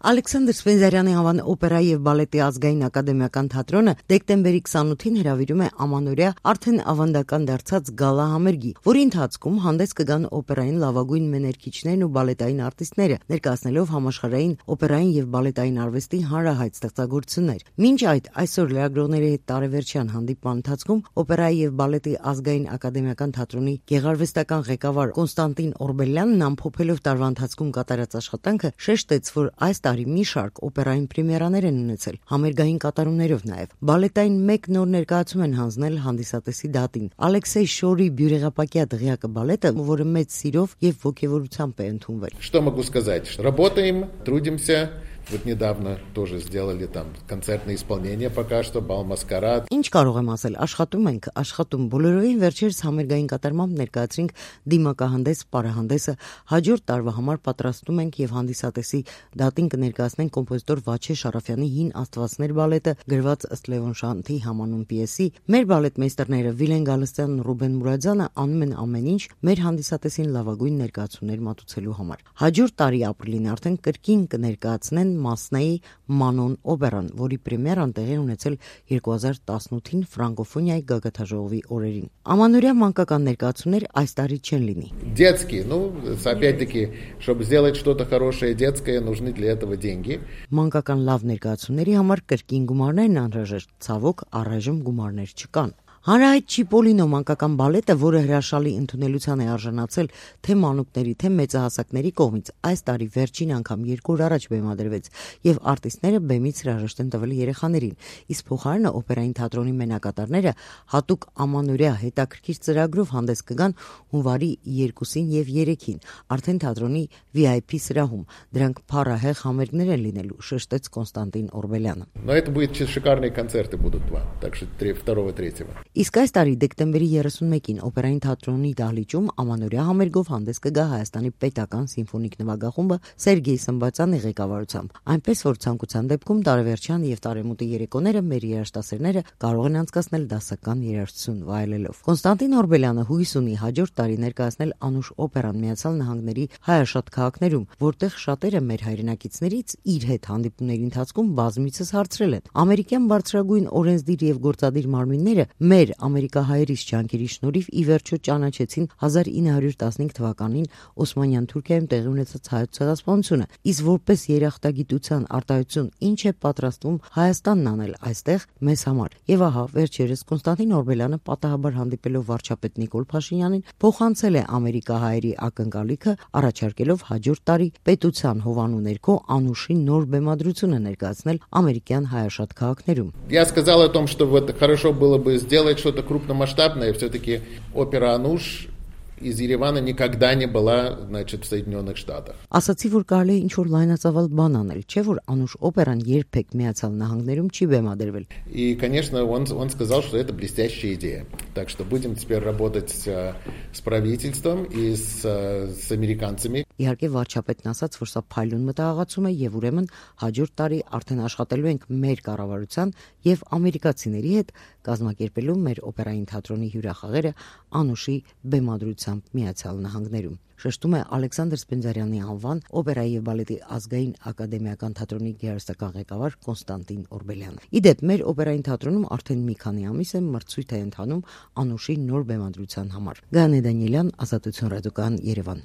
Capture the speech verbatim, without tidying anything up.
Ալեքսանդր Սպենդիարյանի անվան օպերայի եւ բալետի ազգային ակադեմիական թատրոնը դեկտեմբերի քսանութին հրավիրում է ամանորյա արդեն ավանդական դարձած գալա համերգի, որի ընթացքում հանդես կգան օպերային լավագույն մեներքիչներն ու բալետային արտիստները, ներկայացնելով համաշխարհային օպերային եւ բալետային արվեստի հանրահայտ ստեղծագործություններ։ Մինչ այդ այսօր լրագրողների հետ տարեվերջյան հանդիպման ընթացքում օպերայի եւ բալետի ազգային ակադեմիական թատրոնի գեղարվեստական ղեկավար Կոնստանտին Օրբելյանն ամփոփելով տարվա ընթացքում կատարած աշխատանքը շեշտեց, որ այս տարի մի շարք օպերային պրեմիերաներ են ունեցել, համերգային կատարումներով նաև։ Բալետային մեկ նոր ներկայացում են հանձնել հանդիսատեսի դատին։ Ալեքսեյ Շորի Բյուրեղապակյա դղյակը բալետը, որը մեծ սիրով եւ ոգևորությամբ է ընդունվել։ Что могу сказать? Работаем, трудимся. Вот недавно тоже сделали там концертное исполнение пока что, бал маскарад. Ինչ կարող եմ ասել, աշխատում ենք, աշխատում բոլորովին վերջերս համերգային կատարմամբ ներկայացրինք դիմակահանդես, պարահանդեսը, հաջորդ տարվա համար պատրաստում ենք եւ հանդիսատեսի դատին կներկայացնենք կոմպոզիտոր Վաչե Շարաֆյանի Հին Աստվածներ բալետը, գրված ըստ Լևոն Շանթի համանուն պիեսի։ Մեր բալետմեյստերները Վիլեն Գալստյանն ու Ռուբեն Մուրադյանը անում են ամեն ինչ մեր հանդիսատեսին լավագույն ներկայացումներ մատուցելու համար։ Հաջորդ տարի ապրիլին արդեն կրկին կներկայացնեն Մասնայի Մանոն օպերան, որի պրեմիերան տեղի ունեցել երկու հազար տասնութին ֆրանկոֆոնիայի գագաթաժողովի օրերին։ Ամանորյա մանկական ներկայացումներ այս տարի չեն լինի։ Детские, ну, опять-таки, чтобы сделать что-то хорошее детское, нужны для этого деньги. Մանկական լավ ներկայացումների համար կրկին գումարներն անհրաժեշտ, ցավոք առայժմ գումարներ չկան։ Հանրահայտ Չիպոլինո մանկական բալետը, որը հրաշալի ընդունելության է արժանացել թե մանուկների, թե մեծահասակների կողմից, այս տարի վերջին անգամ երկու օր առաջ բեմադրվեց եւ արտիստները բեմից հրաժեշտ են տվել երեխաներին, իսկ փոխարենը օպերային թատրոնի մենակատարները հատուկ ամանորյա հետաքրքիր ծրագրով հանդես կգան հունվարի երկուսին եւ երեքին, արդեն թատրոնի վի այ պի սրահում։ Դրանք փառահեղ համերգներ են լինելու, շեշտեց Կոնստանտին Օրբելյանը։ Но это будет шикарные концерты будут два, так что второго-третьего. Իսկ այս տարի դեկտեմբերի երեսունմեկին օպերային թատրոնի դահլիճում ամանորյա համերգով հանդես կգա Հայաստանի պետական սիմֆոնիկ նվագախումբը Սերգեյ Սմբացյանի ղեկավարությամբ, այնպես որ ցանկության դեպքում տարեվերջյան եւ տարեմուտի երեկոները մեր երաժշտասերները կարող են անցկացնել դասական երաժշտություն վայելելով։ Կոնստանտին Օրբելյանը հույս ունի հաջորդ տարի ներկայացնել անուշ օպերան Միացյալ Նահանգների հայաշատ քաղաքներում, որտեղ շատերը մեր հայրենակիցներից իր հետ հանդիպումների ընթացքում բազմիցս հարցրել են. ամերիկյան բարձրագույն օրենսդիր եւ գործադիր մարմինները մեր ամերիկահայերից ջանքերի շնորհիվ ի վերջո ճանաչեցին հազար ինը հարյուր տասնհինգ թվականին Օսմանյան Թուրքիայում տեղի ունեցած հայոց ցեղասպանությունը, իսկ որպես երախտագիտության արտահայտություն ինչ է պատրաստվում Հայաստանն անել այստեղ մեզ համար։ Եվ ահա վերջերս Կոնստանտին Օրբելյանը պատահաբար հանդիպելով վարչապետ Նիկոլ Փաշինյանին փոխանցել է ամերիկահայերի ակնկալիքը, առաջարկելով հաջորդ տարի պետության հովանու ներքո անուշի նոր բեմադրությունը ներկայացնել ամերիկյան հայաշատ քաղաքներում։ Я сказал о том, что вот хорошо было бы сделать что-то крупномасштабное, все-таки опера «Ануш» из Еревана никогда не была, значит, в Соединенных Штатах. Ասացի, որ կարելի է ինչ-որ լայնածավալ бан անել, չէ՞ որ Անուշ օպերան երբեք Միացյալ Նահանգներում չի բեմադրվել։ И, конечно, он, он сказал, что это блестящая идея. Так что будем теперь работать с, с правительством и с, с американцами. Իհարկե վարչապետն ասաց, որ սա փայլուն մտահղացում է եւ ուրեմն հաջորդ տարի արդեն աշխատելու ենք մեր կառավարության եւ ամերիկացիների հետ կազմակերպելու մեր օպերային թատրոնի հյուրախաղերը Անուշի բեմադրությամբ Միացյալ Նահանգներում։ Շեշտում է Ալեքսանդր Սպենդիարյանի անվան օպերայի եւ բալետի ազգային ակադեմիական թատրոնի գեղարվեստական ղեկավար Կոնստանտին Օրբելյանը։ Իդեպ մեր օպերային թատրոնում արդեն մի քանի ամիս է մրցույթ է ընթանում Անուշի նոր բեմադրության համար։ Գայանե Դանիելյան, Ազատություն ռադիոկայան, Երևան։